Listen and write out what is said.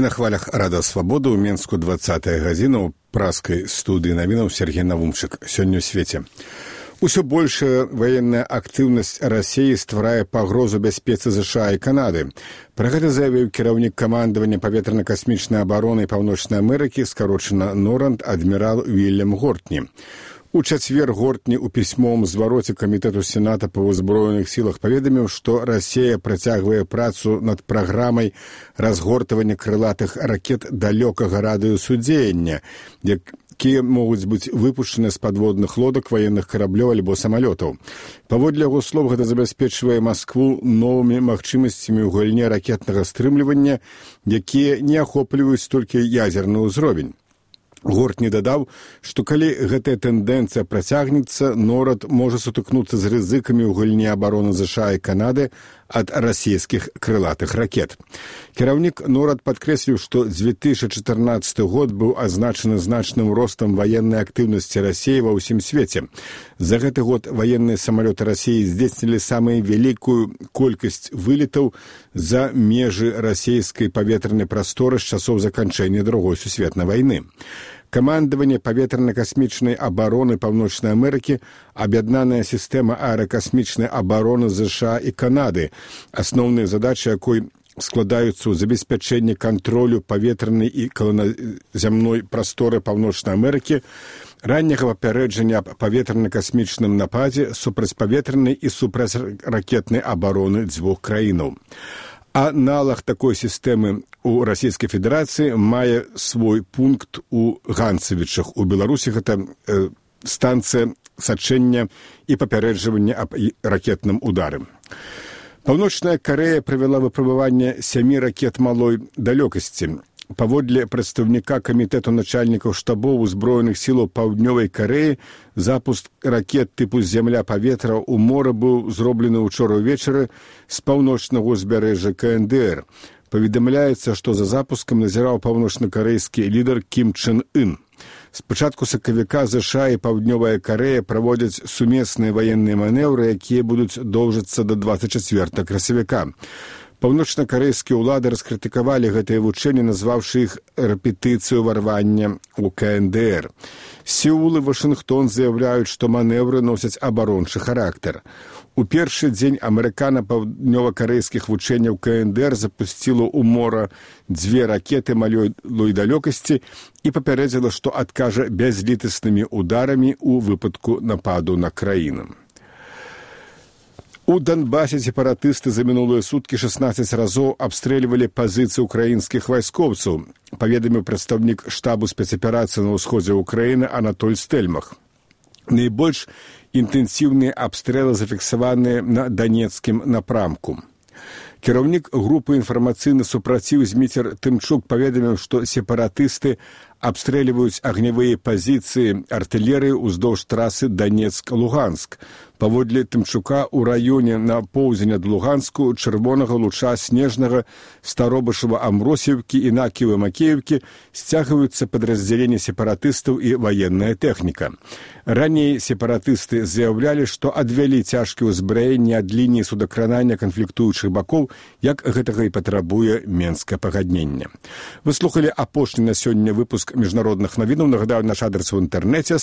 На хвалях Рада Свабоды ў Менску 20-я гадзіна ў праскай студыі навінаў Сергей Навумчык. Сёння ў свеце. Усё большая ваенная актыўнасць Расіі стварае пагрозу бяспецы ЗША і Канады. Пра гэта заявіў кіраўнік камандавання паветрана-касмічнай абароны Паўночнай Амерыкі, скарочана НОРАД, адмірал Уільям Гортні. У чацвер Гортні ў пісьмовым звароце Камітэту Сената па ўзброеных сілах паведаміў, што Расія працягвае працу над праграмай разгортвання крылатых ракет далёкага радыусу дзеяння, якія могуць быць выпушчаны з падводных лодак, ваенных караблёў альбо самалётаў. Паводле яго слоў, гэта забяспечвае Маскву новымі магчымасцямі ў гульне ракетнага стрымлівання, якія не ахопліваюць толькі ядзерны ўзровень. Гортні дадаў, што калі гэтая тэндэнцыя працягнецца, НОРАД можа сутыкнуцца з рызыкамі ў гульне абароны ЗША і Канады ад расійскіх крылатых ракет. Кіраўнік НОРАД падкрэсліў, што 2014 год быў азначаны значным ростам ваеннай актыўнасці Расіі ва ўсім свеце. За гэты год ваенныя самалёты Расіі здзейснілі самую вялікую колькасць вылетаў за межы расійскай паветранай прасторы з часоў заканчэння Другой сусветнай вайны. Камандаванне паветрана-касмічнай абароны Паўночнай Амерыкі, аб'яднаная сістэма аэракасмічнай абароны ЗША і Канады, асноўныя задачы якой складаюцца ў забеспячэнні кантролю паветранай і каланазямной прасторы Паўночнай Амерыкі, ранняга папярэджання аб паветрана-касмічным нападзе, супрацьпаветранай і супрацьракетнай абароны дзвюх краінаў. Аналаг такой сістэмы у Расійскай Федэрацыі мае свой пункт у Ганцавічах. У Беларусі гэта станцыя сачэння і папярэджвання аб ракетным удары. Паўночная Карэя правяла выпрабаванне 7 ракет малой далёкасці. Паводле прадстаўніка камітэту начальнікаў штабоў узброеных сілаў Паўднёвай Карэі, запуск ракет тыпу «Зямля-паветра» ў мора быў зроблены ўчора ўвечары з паўночнага ўзбярэжжа КНДР. Паведамляецца, што за запускам назіраў паўночна-карэйскі лідар Кім Чен Ын. З пачатку сакавіка ЗША і Паўднёвая Карэя праводзяць сумесныя ваенныя манеўры, якія будуць доўжыцца да 24 красавіка. Паўночна-карэйскія ўлады раскрытыкавалі гэтыя вучэнні, назваўшы іх рэпетыцыю ўварвання ў КНДР. Сеул і Вашынгтон заяўляюць, што манеўры носяць абарончы характар. У першы дзень амерыкана-паўднёва-карэйскіх вучэнняў КНДР запусціла ў мора 2 ракеты малой далёкасці і папярэдзіла, што адкажа бязлітаснымі ударамі ў выпадку нападу на краіну. У Донбасе сепаратысты за мінулыя суткі 16 разоў абстрэльвалі пазіцыі ўкраінскіх вайскоўцаў, паведаміў прадстаўнік штабу спецаперацыі на ўсходзе ўкраіны Анатоль Стэльмах. Найбольш інтэнсіўныя абстрэлы зафіксаваныя на данецкім напрамку. Кіраўнік групы «Інфармацыйны супраціў» Зміцер Тымчук паведаміў, што сепаратысты абстрэльваюць агнявыя пазіцыі артылерыі ўздоўж трасы Данецк-Луганск. Паводле Тымчука, у раёне на поўдзень ад Луганску, Чырвонага Луча, Снежнага, Старобышева, Амбросіўкі і Накіева-Макеевкі сцягваюцца падраздзяленні сепаратыстаў і ваенная тэхніка. Раней сепаратысты заяўлялі, што адвялі цяжкія ўзбраенні ад лініі судакранання канфліктуючых бакоў, як гэтага і патрабуе Менскае пагадненне. Вы слухалі апошні на сёння выпуск міжнародных навінаў. Нагадаю, наш адрес у інтэрнэце